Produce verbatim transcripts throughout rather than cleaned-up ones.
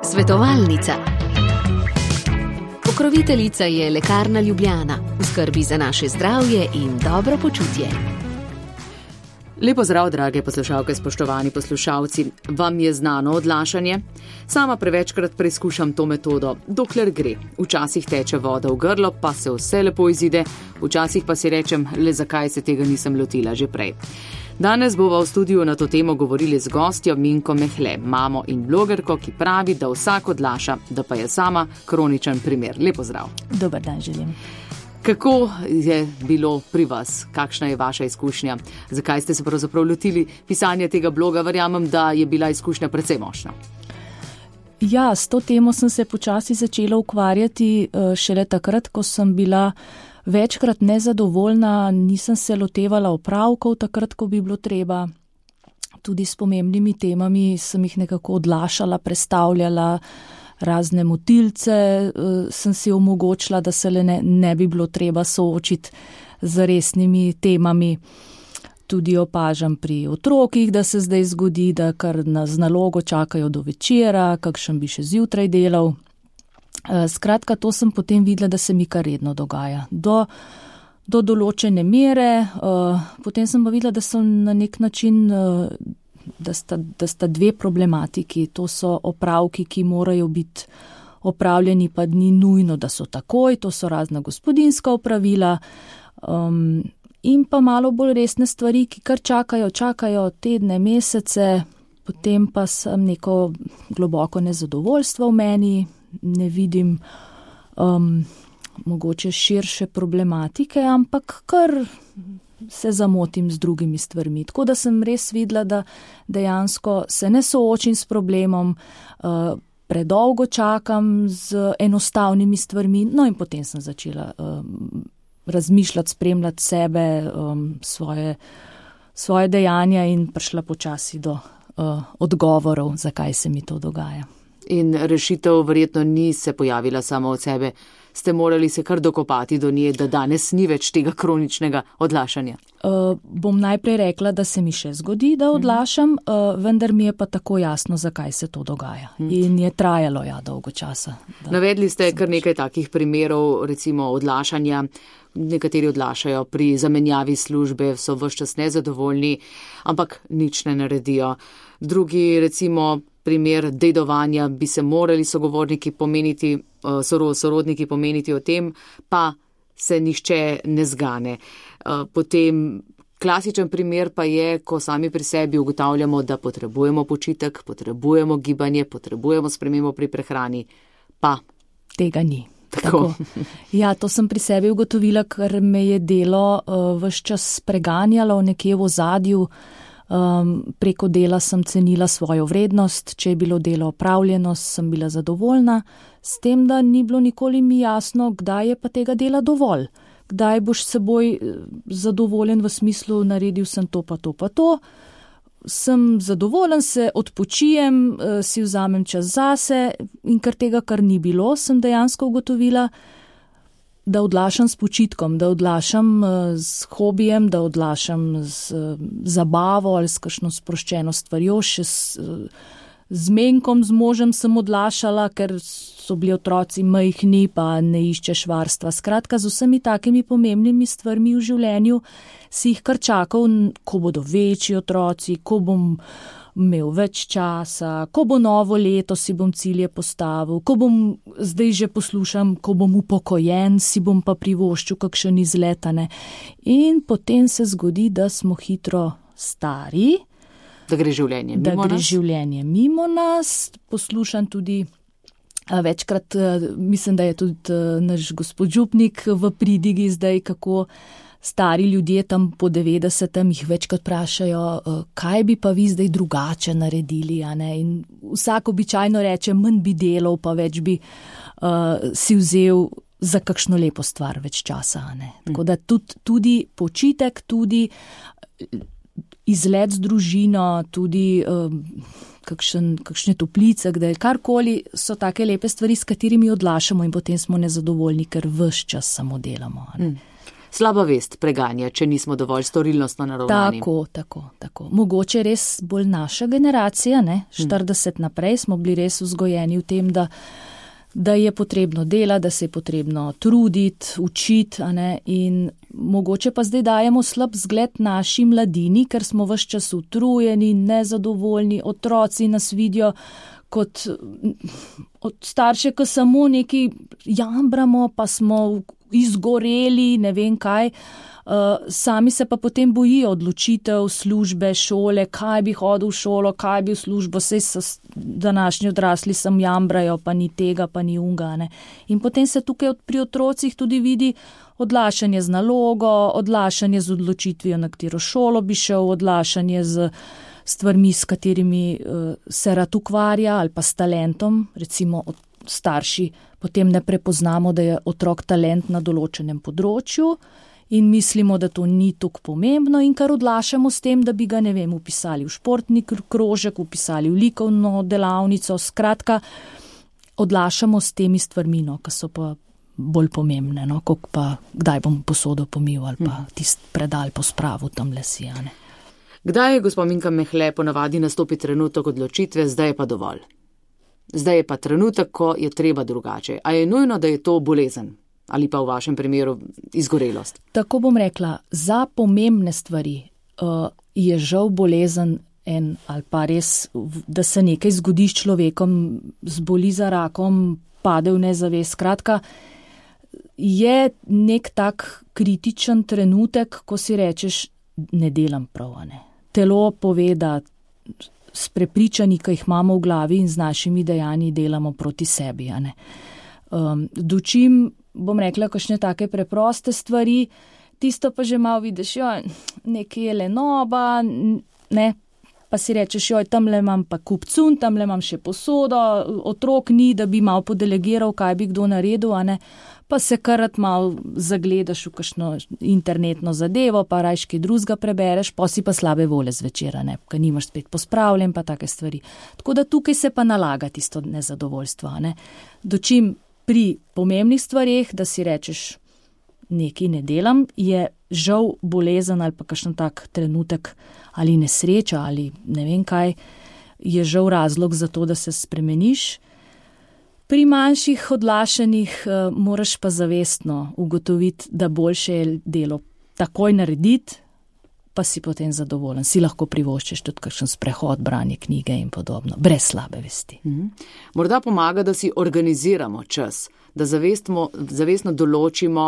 Svetovalnica. Pokroviteljica je Lekarna Ljubljana, v skrbi za naše zdravje in dobro počutje. Lepo zdrav, drage poslušalke, spoštovani poslušalci. Vam je znano odlašanje? Sama prevečkrat preizkušam to metodo, dokler gre. Včasih teče voda v grlo, pa se vse lepo izide, včasih pa si rečem, le zakaj se tega nisem lotila že prej. Danes bova v studiu na to temo govorili z gostjo Minko Mehle, mamo in blogerko, ki pravi, da vsak odlaša, da pa je sama kroničen primer. Lepo zdrav. Dober dan želim. Kako je bilo pri vas? Kakšna je vaša izkušnja? Zakaj ste se pravzaprav lotili pisanja tega bloga? Verjamem, da je bila izkušnja precej močna. Ja, s to temo sem se počasi začela ukvarjati šele takrat, ko sem bila večkrat nezadovoljna, nisem se lotevala opravkov takrat, ko bi bilo treba. Tudi s pomembnimi temami sem jih nekako odlašala, prestavljala, razne motilce sem si omogočila, da se le ne, ne bi bilo treba soočiti z resnimi temami. Tudi opažam pri otrokih, da se zdaj zgodi, da kar na z nalogo čakajo do večera, kakšen bi še zjutraj delal. Skratka, to sem potem videla, da se mi kar redno dogaja. Do, do določene mere, potem sem pa videla, da so na nek način Da sta, da sta dve problematiki, to so opravki, ki morajo biti opravljeni, pa ni nujno, da so takoj, to so razna gospodinjska opravila um, in pa malo bolj resne stvari, ki kar čakajo, čakajo tedne, mesece, potem pa sem neko globoko nezadovoljstvo v meni, ne vidim um, mogoče širše problematike, ampak kar se zamotim z drugimi stvarmi. Tako da sem res videla, da dejansko se ne soočim s problemom, uh, predolgo čakam z enostavnimi stvarmi, no in potem sem začela uh, razmišljati, spremljati sebe, um, svoje, svoje dejanja in prišla počasi do uh, odgovorov, zakaj se mi to dogaja. In rešitev verjetno ni se pojavila samo od sebe. Ste morali se kar dokopati do nje, da danes ni več tega kroničnega odlašanja? Uh, bom najprej rekla, da se mi še zgodi, da odlašam, uh, vendar mi je pa tako jasno, zakaj se to dogaja. Hmm. In je trajalo ja dolgo časa. Navedli ste kar nekaj takih primerov, recimo odlašanja. Nekateri odlašajo pri zamenjavi službe, so ves čas nezadovoljni, ampak nič ne naredijo. Drugi, recimo, primer dedovanja, bi se morali sogovorniki pomeniti, sorodniki pomeniti o tem, pa se nihče ne zgane. Potem klasičen primer pa je, ko sami pri sebi ugotavljamo, da potrebujemo počitek, potrebujemo gibanje, potrebujemo spremembo pri prehrani, pa tega ni. Tako. Tako. Ja, to sem pri sebi ugotovila, ker me je delo uh, ves čas preganjalo nekje v ozadju. Um, preko dela sem cenila svojo vrednost, če je bilo delo opravljeno, sem bila zadovoljna, s tem, da ni bilo nikoli mi jasno, kdaj je pa tega dela dovolj. Kdaj boš seboj zadovoljen v smislu, naredil sem to pa to pa to. Sem zadovoljen, se odpočijem, si vzamem čas zase in ker tega kar ni bilo, sem dejansko ugotovila, da odlašam s počitkom, da odlašam z hobijem, da odlašam z zabavo ali s kakšno sproščeno stvarjo, še s, z menkom, z možem sem odlašala, ker so bili otroci majhni, pa ne iščeš varstva. Skratka, z vsemi takimi pomembnimi stvarmi v življenju si jih kar čakal, ko bodo večji otroci, ko bom imel več časa, ko bo novo leto, si bom cilje postavil, ko bom, zdaj že poslušam, ko bom upokojen, si bom pa privoščil kakšen izletane. In potem se zgodi, da smo hitro stari, da gre življenje mimo da gre nas. življenje mimo nas. Poslušam tudi večkrat, mislim, da je tudi naš gospod župnik v pridigi zdaj, kako stari ljudje tam po devetdesetem jih večkrat vprašajo, kaj bi pa vi zdaj drugače naredili, a ne? In vsak običajno reče, manj bi delal, pa več bi uh, si vzel za kakšno lepo stvar več časa, a ne? Tako da tudi, tudi počitek, tudi izlet z družino, tudi um, kakšen, kakšne toplice, kde karkoli so take lepe stvari, s katerimi odlašamo in potem smo nezadovoljni, ker ves čas samo delamo, a ne? Mm. slaba vest preganja, če nismo dovolj storilnostno naravnani. Tako, tako, tako. Mogoče res bolj naša generacija, ne, štirideset hmm. naprej smo bili res vzgojeni v tem, da da je potrebno delati, da se je potrebno truditi, učiti, a ne, in mogoče pa zdaj dajemo slab zgled naši mladini, ker smo ves čas utrujeni, nezadovoljni, otroci nas vidijo kot od starše, ko samo neki jambramo, pa smo izgoreli, ne vem kaj. Uh, sami se pa potem bojijo odločitev, službe, šole, kaj bi hodil v šolo, kaj bi v službo, saj so današnji odrasli sem jambrajo, pa ni tega, pa ni unga. Ne. In potem se tukaj pri otrocih tudi vidi odlašanje z nalogo, odlašanje z odločitvijo, na katero šolo bi šel, odlašanje z stvarmi, s katerimi uh, se rad ukvarja ali pa s talentom, recimo od starši potem ne prepoznamo, da je otrok talent na določenem področju, in mislimo, da to ni tako pomembno in kar odlašamo s tem, da bi ga, ne vem, upisali v športni krožek, upisali v likovno delavnico, skratka, odlašamo s temi stvarmi, no, ki so pa bolj pomembne, no, kot pa kdaj bom posodo pomil ali pa tist predal pospravil tam lesijane. Kdaj je, gospod Minka Mehle, ponavadi nastopi trenutek odločitve, zdaj je pa dovolj? Zdaj je pa trenutek, ko je treba drugače. A je nujno, da je to bolezen? Ali pa v vašem primeru izgorelost? Tako bom rekla, za pomembne stvari uh, je žal bolezen en ali pa res, da se nekaj zgodi s človekom, zboli za rakom, pade v nezavest. Skratka, je nek tak kritičen trenutek, ko si rečeš, ne delam prav, ne. Telo pove, da s prepričanji, ki jih imamo v glavi in z našimi dejanji delamo proti sebi, ne. Um, dočim bom rekla, kakšne take preproste stvari, tisto pa že malo vidiš, joj, nekaj je lenoba, ne, pa si rečeš, joj, tamle imam pa kupcun, tamle imam še posodo, otrok ni, da bi malo podelegiral, kaj bi kdo naredil, a ne, pa se karat malo zagledaš v kakšno internetno zadevo, pa rajški drugega prebereš, pa si pa slabe vole zvečera, ne, ker nimaš spet pospravljen, pa take stvari. Tako da tukaj se pa nalaga tisto nezadovoljstvo, ne, dočim pri pomembnih stvareh, da si rečeš, nekaj ne delam, je žal bolezen ali pa kakšen tak trenutek ali nesreča ali ne vem kaj, je žal razlog za to, da se spremeniš. Pri manjših odlašanjih uh, moraš pa zavestno ugotoviti, da boljše je delo takoj narediti, pa si potem zadovoljen. Si lahko privoščiš tudi kakšen sprehod, branje knjige in podobno, brez slabe vesti. Mhm. Morda pomaga, da si organiziramo čas, da zavestmo, zavestno določimo,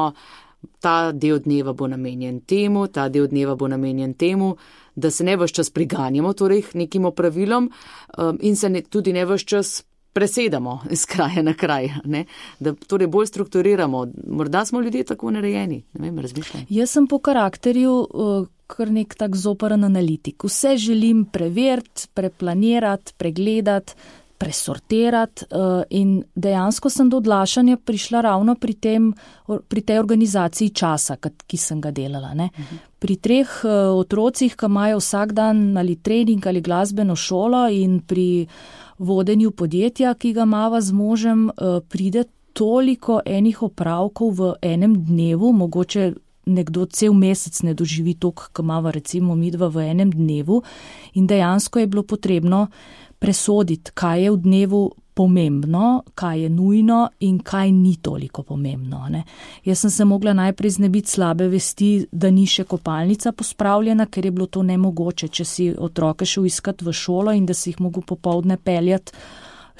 ta del dneva bo namenjen temu, ta del dneva bo namenjen temu, da se ne ves čas priganjamo, torej nekim opravilom um, in se ne, tudi ne ves čas presedamo iz kraja na kraj, ne? Da torej bolj strukturiramo. Morda smo ljudje tako narejeni, ne vem, razmišljam. Jaz sem po karakterju uh, kar nek tak zoparan analitik. Vse želim preveriti, preplanirati, pregledati, presortirati uh, in dejansko sem do odlašanja prišla ravno pri, tem, pri tej organizaciji časa, ki sem ga delala. Ne? Uh-huh. Pri treh uh, otrocih, ki imajo vsak dan ali trening ali glasbeno šolo in pri vodenju podjetja, ki ga imava z možem, uh, pride toliko enih opravkov v enem dnevu, mogoče nekdo cel mesec ne doživi toliko, ki imava recimo midva v enem dnevu in dejansko je bilo potrebno presoditi, kaj je v dnevu pomembno, kaj je nujno in kaj ni toliko pomembno. Ne. Jaz sem se mogla najprej znebiti slabe vesti, da ni še kopalnica pospravljena, ker je bilo to nemogoče, če si otroke šel iskat v šolo in da si jih mogel popoldne peljati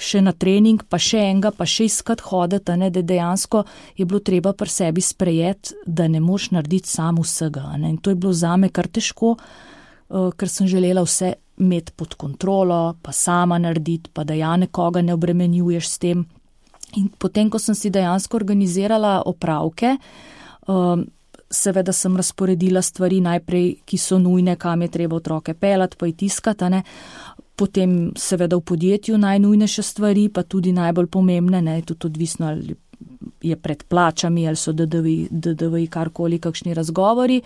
še na trening, pa še enega, pa še iskat hoditi, ne, da dejansko je bilo treba pri sebi sprejeti, da ne moš narediti sam vsega. Ne. In to je bilo zame kar težko, uh, ker sem želela vse imeti pod kontrolo, pa sama narediti, pa da ja nekoga ne obremenjuješ s tem. In potem, ko sem si dejansko organizirala opravke, um, seveda sem razporedila stvari najprej, ki so nujne, kam je treba otroke pelati, pa jih tiskati, ne. Potem seveda v podjetju najnujnejše stvari, pa tudi najbolj pomembne, ne, tudi odvisno, ali je pred plačami, ali so D D V I, karkoli, kakšni razgovori.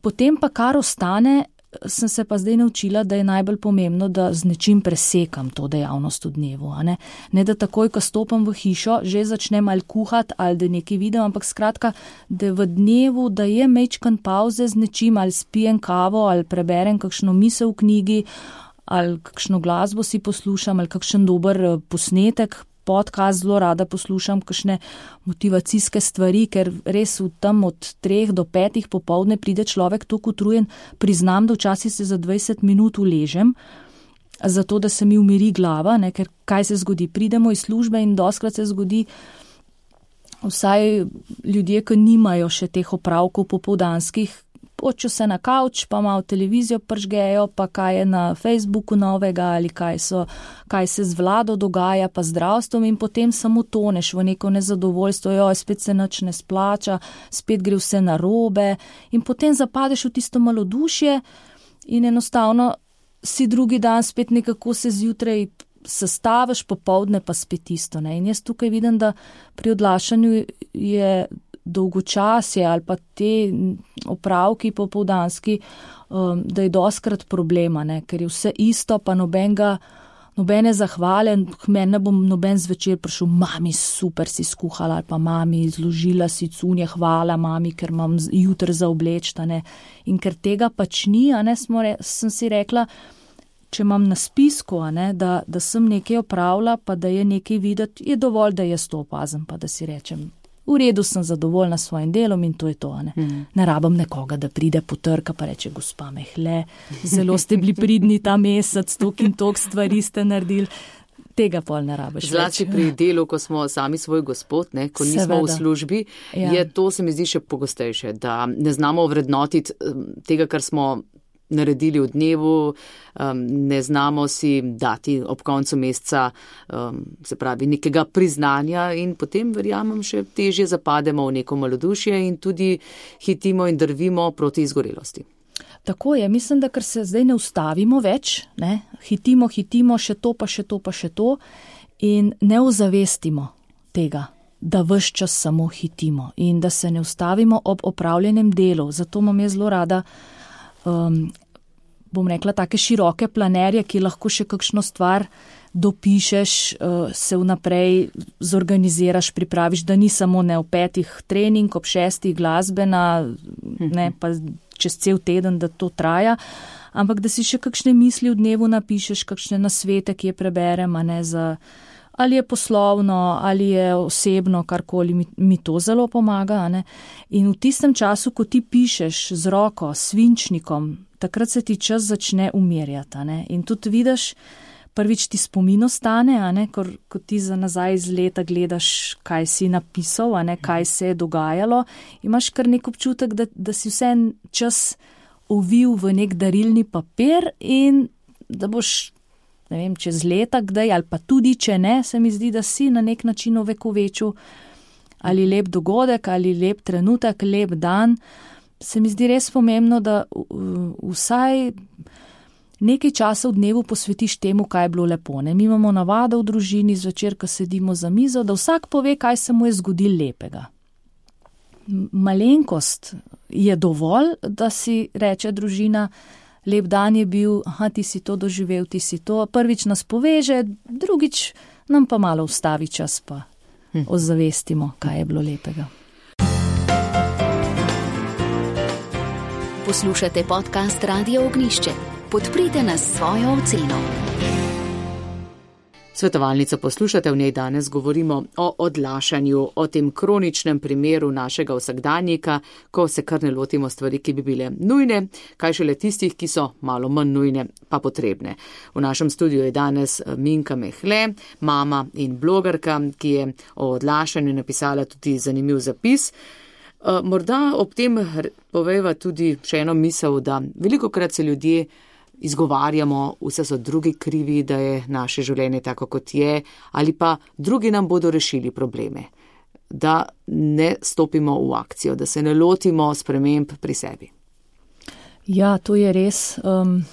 Potem pa kar ostane, sem se pa zdaj naučila, da je najbolj pomembno, da z nečim presekam to dejavnost v dnevu. A ne? ne da takoj, ko stopam v hišo, že začnem ali kuhati ali da nekaj vidim, ampak skratka, da v dnevu, da je mečkan pauze z nečim, ali spijem kavo, ali preberem kakšno misel v knjigi, ali kakšno glasbo si poslušam, ali kakšen dober posnetek, podcast zelo rada poslušam, kakšne motivacijske stvari, ker res v tam od treh do petih popoldne pride človek toliko utrujen, priznam, da včasih se za dvajset minut uležem, zato da se mi umiri glava, ne, ker kaj se zgodi, pridemo iz službe in doskrat se zgodi, vsaj ljudje, ki nimajo še teh opravkov popoldanskih, poču se na kavč, pa malo televizijo pržgejo, pa kaj je na Facebooku novega ali kaj, so, kaj se z vlado dogaja, pa zdravstvom in potem samo toneš v neko nezadovoljstvo, joj, spet se nič ne splača, spet gre vse narobe in potem zapadeš v tisto malodušje in enostavno si drugi dan spet nekako se zjutraj sestaviš, popoldne pa spet isto. Ne? In jaz tukaj vidim, da pri odlašanju je dolgočasje ali pa te opravki popoldanski, um, da je doskrat problema, ne? Ker je vse isto, pa nobenega, nobene zahvale, k meni ne bom noben zvečer prišel, mami, super si skuhala, ali pa mami, zložila si cunje, hvala mami, ker imam jutr za oblečta, ne? In ker tega pač ni, a ne, smo re, sem si rekla, če imam na spisku, a ne, da, da sem nekaj opravila, pa da je nekaj videti, je dovolj, da jaz to opazim, pa da si rečem, v redu sem zadovoljna s svojim delom in to je to. Ne, mm. ne rabim nekoga, da pride potrka pa reče, gospa Mehle, zelo ste bili pridni ta mesec, tok in tok stvari ste naredili. Tega pol ne rabiš. Zlasti pri delu, ko smo sami svoj gospod, ne, ko nismo Seveda. v službi, ja. je to se mi zdi še pogostejše, da ne znamo vrednotiti tega, kar smo naredili v dnevu, um, ne znamo si dati ob koncu meseca, um, se pravi, nekega priznanja in potem, verjamem, še težje zapademo v neko malodušje in tudi hitimo in drvimo proti izgorelosti. Tako je, mislim, da ker se zdaj ne ustavimo več, ne, hitimo, hitimo, še to, pa še to, pa še to in ne ozavestimo tega, da ves čas samo hitimo in da se ne ustavimo ob opravljenem delu. Zato imam jaz zelo rada Um, bom rekla, take široke planerje, ki lahko še kakšno stvar dopišeš, uh, se vnaprej zorganiziraš, pripraviš, da ni samo ne ob petih trening, ob šestih glasbena, ne, pa čez cel teden, da to traja, ampak da si še kakšne misli v dnevu napišeš, kakšne nasvete, ki je preberem, a ne za, ali je poslovno, ali je osebno, karkoli, mi, mi to zelo pomaga, a ne. In v tistem času, ko ti pišeš z roko, svinčnikom, takrat se ti čas začne umirjati, a ne. In tudi vidiš, prvič ti spomin ostane, a ne, ko, ko ti za nazaj iz leta gledaš, kaj si napisal, a ne, kaj se je dogajalo, imaš kar nek občutek, da, da si vse čas ovil v nek darilni papir in da boš, ne vem, čez leta kdaj, ali pa tudi, če ne, se mi zdi, da si na nek način ovekovečil ali lep dogodek, ali lep trenutek, lep dan. Se mi zdi res pomembno, da vsaj nekaj časa v dnevu posvetiš temu, kaj je bilo lepo. Ne? Mi imamo navado v družini zvečer, ko sedimo za mizo, da vsak pove, kaj se mu je zgodilo lepega. Malenkost je dovolj, da si reče družina, lep dan je bil, aha, ti si to doživel, ti si to. Prvič nas poveže, drugič nam pa malo ustavi čas, pa hm. ozavestimo, kaj je bilo lepega. Poslušate podcast Radio Ognjišče. Podprite nas s svojo oceno. Svetovalnico poslušate, v njej danes govorimo o odlašanju, o tem kroničnem primeru našega vsakdanjika, ko se kar ne lotimo stvari, ki bi bile nujne, kaj šele tistih, ki so malo manj nujne, pa potrebne. V našem studiu je danes Minka Mehle, mama in blogerka, ki je o odlašanju napisala tudi zanimiv zapis. Morda ob tem poveva tudi še eno misel, da velikokrat se ljudje izgovarjamo, vse so drugi krivi, da je naše življenje tako, kot je, ali pa drugi nam bodo rešili probleme. Da ne stopimo v akcijo, da se ne lotimo sprememb pri sebi. Ja, to je res. Um,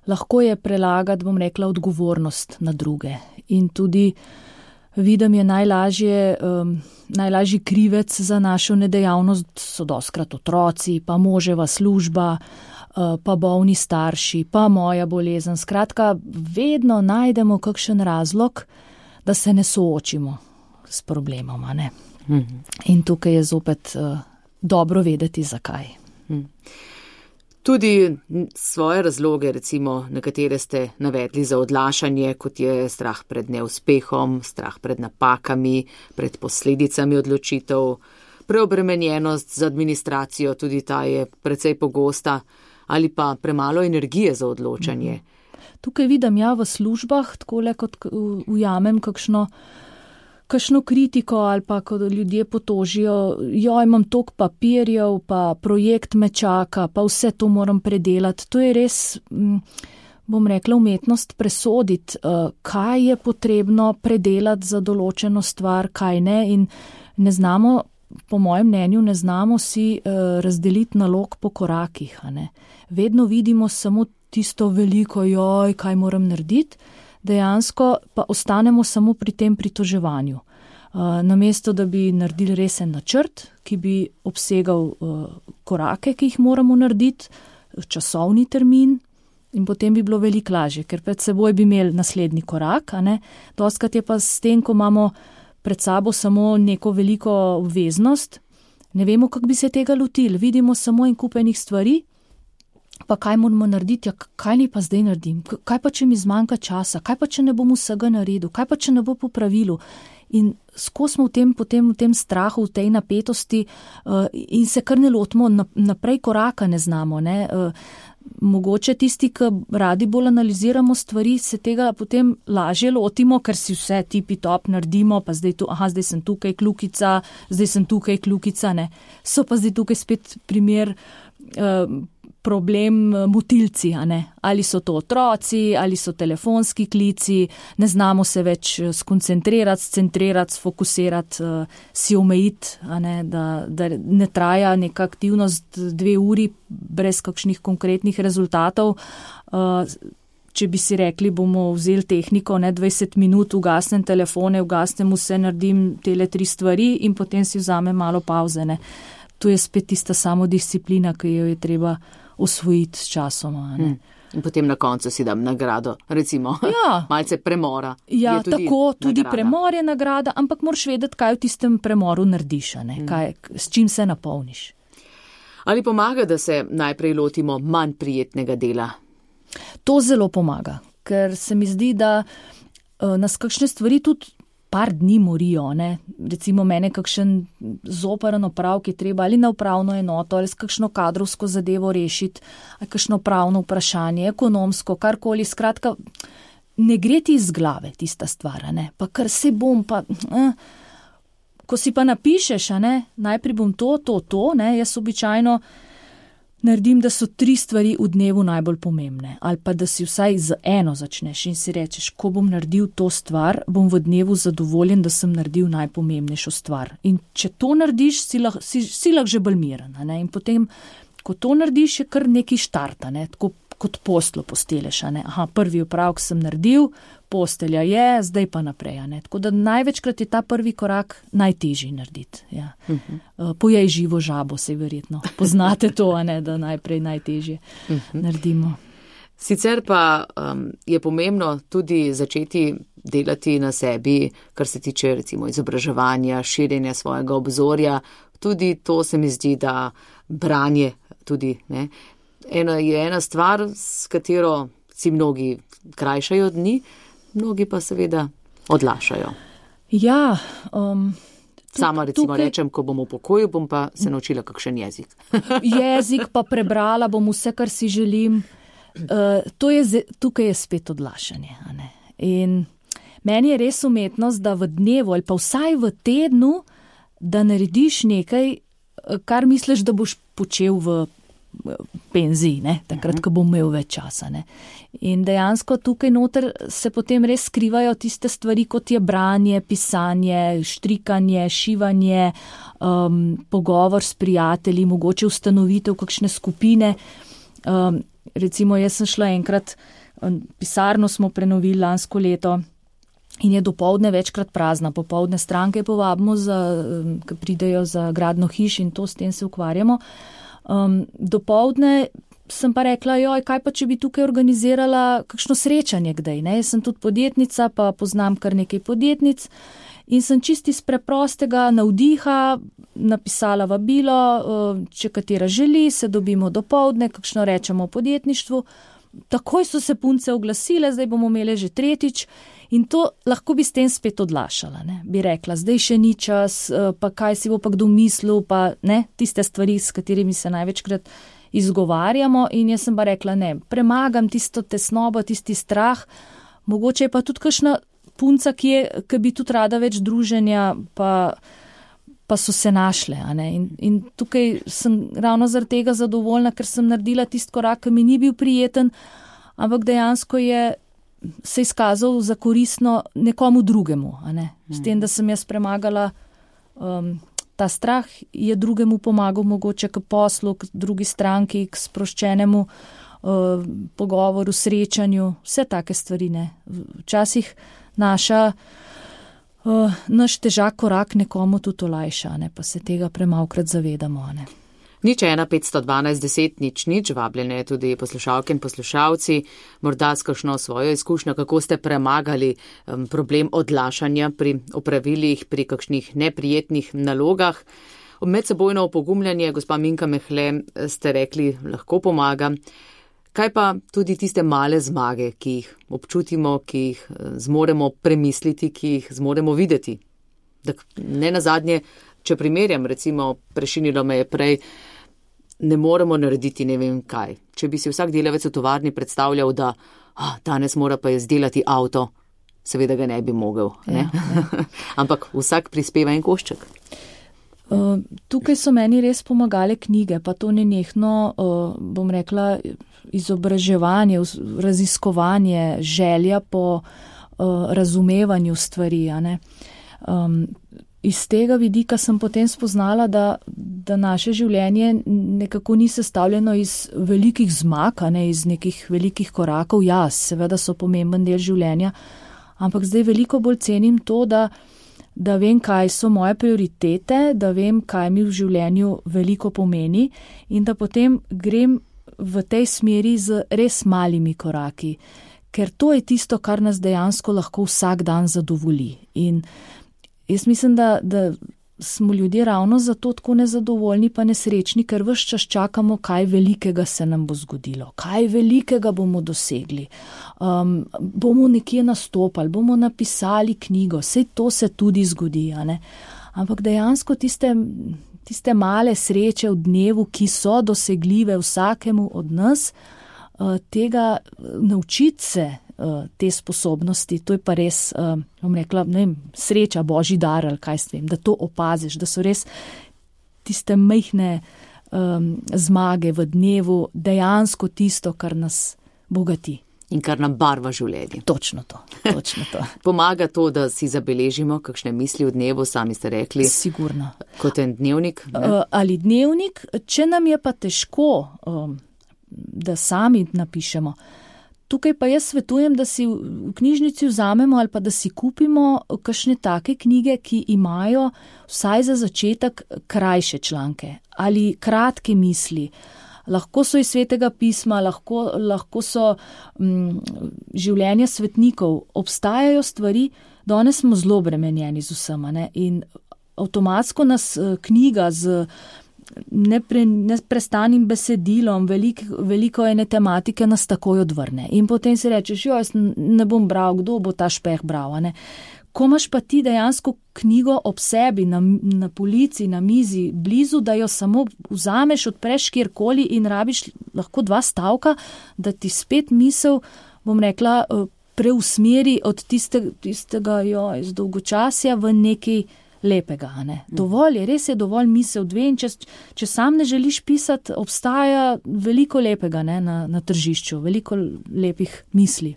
lahko je prelagati, bom rekla, odgovornost na druge. In tudi vidim je najlažje, um, najlažji krivec za našo nedejavnost so doskrat otroci, pa moževa služba, pa bolni starši, pa moja bolezen. Skratka, vedno najdemo kakšen razlog, da se ne soočimo s problemom. Ne? Mm-hmm. In tukaj je zopet uh, dobro vedeti, zakaj. Mm. Tudi svoje razloge, recimo nekatere ste navedli za odlašanje, kot je strah pred neuspehom, strah pred napakami, pred posledicami odločitev, preobremenjenost z administracijo, tudi ta je precej pogosta, ali pa premalo energije za odločanje. Tukaj vidim ja v službah, takole kot ujamem kakšno, kakšno kritiko ali pa ko ljudje potožijo, jo imam toliko papirjev, pa projekt me čaka, pa vse to moram predelati. To je res, bom rekla, umetnost presoditi, kaj je potrebno predelati za določeno stvar, kaj ne, in ne znamo, po mojem mnenju, ne znamo si razdeliti nalog po korakih. A ne. Vedno vidimo samo tisto veliko, joj, kaj moram narediti, dejansko pa ostanemo samo pri tem pritoževanju. Uh, namesto, da bi naredili resen načrt, ki bi obsegal uh, korake, ki jih moramo narediti, časovni termin, in potem bi bilo veliko lažje, ker pred seboj bi imeli naslednji korak. A ne? Dostkrat je pa s tem, ko imamo pred sabo samo neko veliko obveznost, ne vemo, kako bi se tega lotili, vidimo samo en kup enih stvari, pa kaj moramo narediti, ja, kaj ni pa zdaj naredim, kaj pa, če mi zmanjka časa, kaj pa, če ne bom vsega naredil, kaj pa, če ne bo po pravilu. In skozi smo v tem, potem v tem strahu, v tej napetosti uh, in se kar ne lotimo, naprej koraka ne znamo. Ne? Uh, mogoče tisti, ki radi bolj analiziramo stvari, se tega potem lažje lotimo, ker si vse tipi top naredimo, pa zdaj, tu, aha, zdaj sem tukaj kljukica, zdaj sem tukaj kljukica, ne. So pa zdaj tukaj spet primer uh, problem motilci, a ne. Ali so to otroci, ali so telefonski klici, ne znamo se več skoncentrirati, scentrrirati, sfokusirati, uh, si omejiti, a ne, da, da ne traja neka aktivnost dve uri brez kakšnih konkretnih rezultatov. Uh, če bi si rekli, bomo vzeli tehniko, ne, dvajset minut, ugasnem telefone, ugasnem vse, naredim tele tri stvari in potem si vzamem malo pauze, ne. To je spet tista samodisciplina, ki jo je treba osvojiti s časoma. Hmm. In potem na koncu si dam nagrado, recimo, ja. Malce premora. Ja, tudi tako, tudi nagrada. Premor je nagrada, ampak moraš vedeti, kaj v tistem premoru narediš, ne? Hmm. Kaj, s čim se napolniš. Ali pomaga, da se najprej lotimo manj prijetnega dela? To zelo pomaga, ker se mi zdi, da uh, nas kakšne stvari tudi par dni morijo, ne. Recimo mene kakšen zoparen oprav, ki je treba ali na upravno enoto, ali s kakšno kadrovsko zadevo rešiti, ali kakšno pravno vprašanje, ekonomsko, karkoli, skratka, ne gre ti iz glave tista stvar, ne, pa kar se bom, pa, eh, ko si pa napišeš, a ne, najprej bom to, to, to, ne, jaz običajno naredim, da so tri stvari v dnevu najbolj pomembne, ali pa da si vsaj z eno začneš in si rečeš, ko bom naredil to stvar, bom v dnevu zadovoljen, da sem naredil najpomembnejšo stvar. In če to narediš, si lahko si, si lahko že bolj miren. Ne? In potem, ko to narediš, je kar neki štarta, ne? Tako kot poslo posteleš. Ne? Aha, prvi opravek sem naredil, postelja je, zdaj pa naprej. Ne? Tako da največkrat je ta prvi korak najtežji narediti. Ja. Uh-huh. Pojej živo žabo, se verjetno. Poznate to, a ne, da najprej najtežje uh-huh. naredimo. Sicer pa um, je pomembno tudi začeti delati na sebi, kar se tiče recimo izobraževanja, širjenja svojega obzorja. Tudi to se mi zdi, da branje tudi, ne. Ena je ena stvar, s katero si mnogi krajšajo dni, mnogi pa seveda odlašajo. Ja, um, tuk, sama recimo tukaj... rečem, ko bom v pokoju, bom pa se naučila kakšen jezik. Jezik pa prebrala bom vse, kar si želim. Uh, to je, tukaj je spet odlašanje. A ne? In meni je res umetnost, da v dnevu ali pa vsaj v tednu, da narediš nekaj, kar misliš, da boš počel v penziji, ne? Takrat, ko bom imel več časa. Ne? In dejansko tukaj noter se potem res skrivajo tiste stvari, kot je branje, pisanje, štrikanje, šivanje, um, pogovor s prijatelji, mogoče ustanovitev kakšne skupine. Um, recimo, jaz sem šla enkrat, pisarno smo prenovili lansko leto in je dopoldne večkrat prazna. Popoldne stranke povabimo, za, ki pridejo za gradno hiš in to s tem se ukvarjamo. Um, dopoldne sem pa rekla, joj, kaj pa, če bi tukaj organizirala kakšno srečanje kdaj, ne? Jaz sem tudi podjetnica, pa poznam kar nekaj podjetnic in sem čisti iz preprostega navdiha napisala vabilo, če katera želi, se dobimo dopoldne, kakšno rečemo o podjetništvu. Takoj so se punce oglasile, zdaj bomo imeli že tretjič in to lahko bi s tem spet odlašala, ne? Bi rekla, zdaj še ni čas, pa kaj si bo pa kdo mislil, pa ne, tiste stvari, s katerimi se največkrat izgovarjamo in jaz sem pa rekla, ne, premagam tisto tesnobo, tisti strah, mogoče je pa tudi kakšna punca, ki, je, ki bi tudi rada več druženja, pa, pa so se našle. A ne? In, in tukaj sem ravno zaradi tega zadovoljna, ker sem naredila tisti korak, ki mi ni bil prijeten, ampak dejansko je se izkazal za koristno nekomu drugemu. A ne? S tem, da sem jaz premagala um, ta strah, je drugemu pomagal mogoče k poslu, k drugi stranki, k sproščenemu uh, pogovoru, srečanju, vse take stvari. Ne? Včasih naša, uh, naš težak korak nekomu tudi olajša, ne? Pa se tega premalkrat zavedamo. Ne? Nič ena petsto dvanajst deset nič nič, vabljene tudi poslušalke in poslušalci, morda s kakšno svojo izkušnjo, kako ste premagali um, problem odlašanja pri opravilih, pri kakšnih neprijetnih nalogah. Medsebojno opogumljanje, gospa Minka Mehle, ste rekli, lahko pomaga. Kaj pa tudi tiste male zmage, ki jih občutimo, ki jih zmoremo premisliti, ki jih zmoremo videti? Tak, ne nazadnje, če primerjam, recimo, prešinilo me je prej, ne moremo narediti ne vem kaj. Če bi si vsak delavec v tovarni predstavljal, da ah, danes mora pa izdelati avto, seveda ga ne bi mogel. Ne? Ja, ja. Ampak vsak prispeva en košček. Uh, tukaj so meni res pomagale knjige, pa to nenehno, uh, bom rekla, izobraževanje, raziskovanje, želja po uh, razumevanju stvari. A ne? Um, Iz tega vidika sem potem spoznala, da, da naše življenje nekako ni sestavljeno iz velikih zmag, ne, iz nekih velikih korakov. Ja, seveda so pomemben del življenja, ampak zdaj veliko bolj cenim to, da, da vem, kaj so moje prioritete, da vem, kaj mi v življenju veliko pomeni in da potem grem v tej smeri z res malimi koraki, ker to je tisto, kar nas dejansko lahko vsak dan zadovolji. In jaz mislim, da, da smo ljudje ravno zato tako nezadovoljni pa nesrečni, ker ves čas čakamo, kaj velikega se nam bo zgodilo, kaj velikega bomo dosegli. Um, bomo nekje nastopali, bomo napisali knjigo, sej to se tudi zgodi, a ne? Ampak dejansko tiste, tiste male sreče v dnevu, ki so dosegljive vsakemu od nas, uh, tega naučiti se, te sposobnosti, to je pa res, bom rekla, ne vem, sreča, božji dar ali kaj s tem, da to opaziš, da so res tiste majhne um, zmage v dnevu dejansko tisto, kar nas bogati. In kar nam barva življenje. Točno to, točno to. Pomaga to, da si zabeležimo kakšne misli v dnevu, sami ste rekli. Sigurno. Kot en dnevnik. Uh, ali dnevnik, če nam je pa težko, um, da sami napišemo. Tukaj pa jaz svetujem, da si v knjižnici vzamemo ali pa da si kupimo kakšne take knjige, ki imajo vsaj za začetek krajše članke ali kratke misli. Lahko so iz Svetega pisma, lahko, lahko so m, življenja svetnikov. Obstajajo stvari, danes smo zelo bremenjeni z vsema, ne? In avtomatsko nas knjiga z Nepre, neprestanim besedilom, velik, veliko ene tematike nas takoj odvrne. In potem si rečeš, jo, jaz ne bom bral, kdo bo ta špeh bral. Ne? Ko imaš pa ti dejansko knjigo ob sebi, na, na polici, na mizi, blizu, da jo samo vzameš, odpreš kjerkoli in rabiš lahko dva stavka, da ti spet misel, bom rekla, preusmeri od tiste, tistega jo, iz dolgočasja v neki lepega. Ne? Dovolj je, res je dovolj misel dve in če, če sam ne želiš pisati, obstaja veliko lepega, ne, na, na tržišču, veliko lepih misli.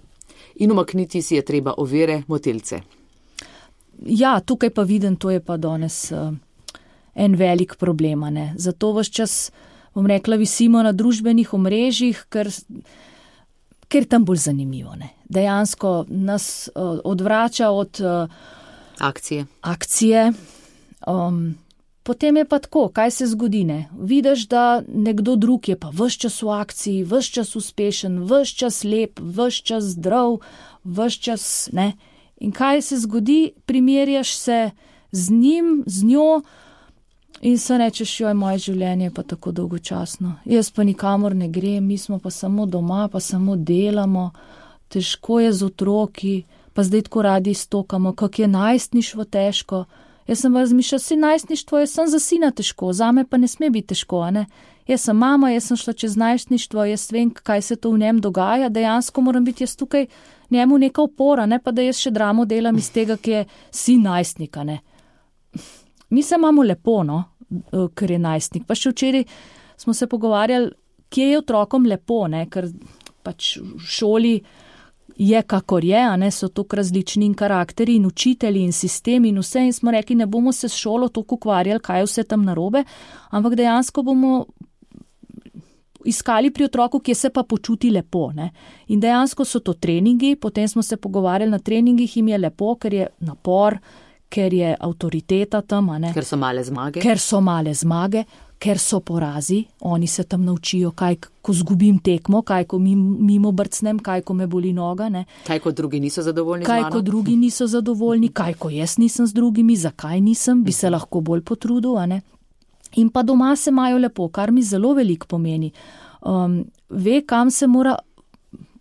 In umakniti si je treba ovire, motilce. Ja, tukaj pa vidim, to je pa danes uh, en velik problem. Ne? Zato vas čas, bom rekla, visimo na družbenih omrežjih, ker, ker tam bolj zanimivo. Ne? Dejansko nas uh, odvrača od uh, Akcije. Akcije. Um, potem je pa tako, kaj se zgodi, ne? Vidiš, da nekdo drug je pa ves čas v akciji, ves čas uspešen, ves čas lep, ves čas zdrav, ves čas, ne? In kaj se zgodi? Primerjaš se z njim, z njo in se rečeš, joj, moje življenje je pa tako dolgočasno. Jaz pa nikamor ne grem, mi smo pa samo doma, pa samo delamo, težko je z otroki, pa zdaj tako radi stokamo, kak je najstništvo težko. Jaz sem razmišljala, si najstništvo, jaz sem za sina težko, zame pa ne sme biti težko, ne. Jaz sem mama, jaz sem šla čez najstništvo, jaz vem, kaj se to v njem dogaja, dejansko moram biti jaz tukaj njemu neka opora, ne pa da jaz še dramo delam iz tega, ki je sin najstnika, ne. Mi se imamo lepo, no, ker je najstnik. Pa še včeraj smo se pogovarjali, kje je otrokom lepo, ne, ker pač v šoli je kakor je, a ne, so toliko različni in karakteri in učitelji in sistemi in vse in smo rekli, ne bomo se s šolo toliko ukvarjali, kaj je vse tam narobe, ampak dejansko bomo iskali pri otroku, kje se pa počuti lepo, ne. In dejansko so to treningi, potem smo se pogovarjali na treningih, jim je lepo, ker je napor, ker je avtoriteta tam, a ne. Ker so male zmage. Ker so male zmage, ker so porazi, oni se tam naučijo, kaj, ko zgubim tekmo, kaj, ko mimo brcnem, kaj, ko me boli noga, ne. Kaj, ko drugi niso zadovoljni kaj, z mano. Kaj, ko drugi niso zadovoljni, kaj, ko jaz nisem z drugimi, zakaj nisem, bi se lahko bolj potrudil, a ne. In pa doma se imajo lepo, kar mi zelo veliko pomeni. Um, ve, kam se mora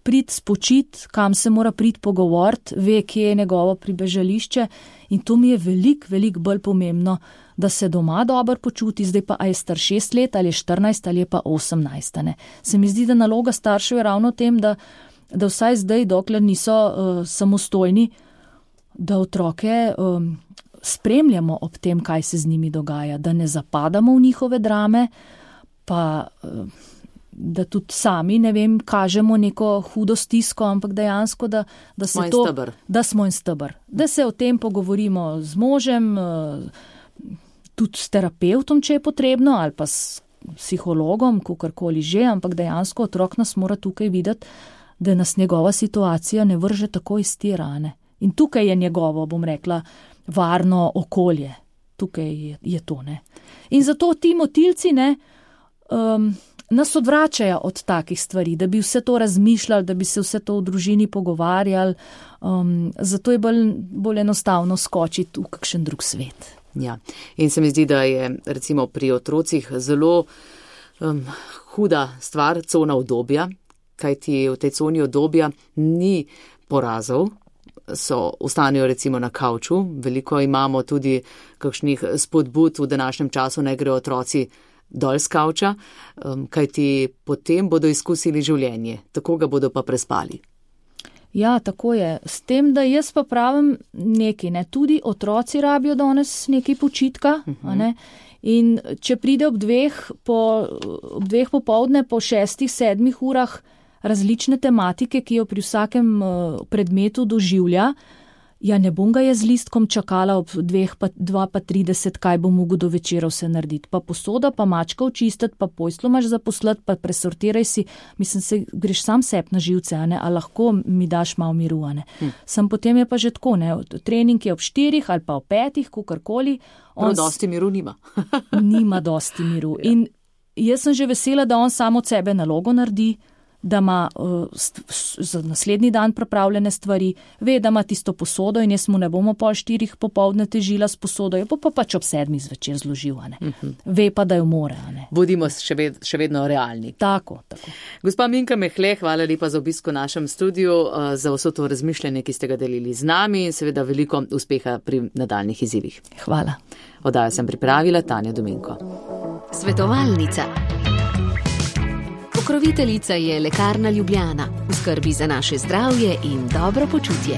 priti spočiti, kam se mora priti pogovoriti, ve, kje je njegovo pribežališče in to mi je veliko, veliko bolj pomembno, da se doma dobro počuti, zdaj pa a je star šest let ali je štirinajst ali je pa osemnajst. Ne. Se mi zdi, da naloga staršev je ravno v tem, da, da vsaj zdaj, dokler niso uh, samostojni, da otroke um, spremljamo ob tem, kaj se z njimi dogaja, da ne zapadamo v njihove drame, pa uh, da tudi sami, ne vem, kažemo neko hudo stisko, ampak dejansko, da, da se smo to, stebr. da smo in stebr. Da se o tem pogovorimo z možem, uh, tudi s terapeutom, če je potrebno, ali pa s psihologom, kakorkoli že, ampak dejansko otrok nas mora tukaj videti, da nas njegova situacija ne vrže tako iz tira, ne. In tukaj je njegovo, bom rekla, varno okolje. Tukaj je, je to, ne. In zato ti motilci, ne, um, nas odvračajo od takih stvari, da bi vse to razmišljali, da bi se vse to v družini pogovarjali, um, zato je bolj, bolj enostavno skočiti v kakšen drug svet. Ja, in se mi zdi, da je recimo pri otrocih zelo um, huda stvar cona udobja, kajti v tej coni udobja ni porazov, so, ostanejo recimo na kavču, veliko imamo tudi kakšnih spodbud v današnjem času, naj grejo otroci dol z kavča, um, kajti potem bodo izkusili življenje, tako ga bodo pa prespali. Ja, tako je. S tem, da jaz pa pravim nekaj, ne, tudi otroci rabijo danes nekaj počitka, uh-huh. a ne, in če pride ob dveh, po, ob dveh popoldne, po šestih, sedmih urah različne tematike, ki jo pri vsakem uh, predmetu doživlja, ja, ne bom ga jaz z listkom čakala ob dveh, pa dva pa trideset, kaj bom mogel do večera vse narediti. Pa posoda, pa mačka očistiti, pa poslo imaš zaposlati, pa presortiraj si, mislim, se greš sam sep na živce, a ne, a lahko mi daš malo miru, a ne. Hm. Sem potem je pa že tako, ne, trening je ob štirih ali pa ob petih, kakorkoli. Prav dosti miru nima. Nima dosti miru. Ja. In jaz sem že vesela, da on sam od sebe nalogo naredi, da ima uh, st- za naslednji dan pripravljene stvari, ve, da ima tisto posodo in jaz mu ne bomo pol štirih popoldne težila s posodo, jo pa pač ob sedmih zvečer zložil, a ne. Uh-huh. Ve pa, da jo more, a ne. Budimo še, ved- še vedno realni. Tako, tako. Gospa Minka Mehle, hvala lepa za obisko v našem studiu, uh, za vso to razmišljanje, ki ste ga delili z nami in seveda veliko uspeha pri nadaljnih izzivih. Hvala. Oddajo sem pripravila Tanja Dominko. Svetovalnica. Pokroviteljica je Lekarna Ljubljana, v skrbi za naše zdravje in dobro počutje.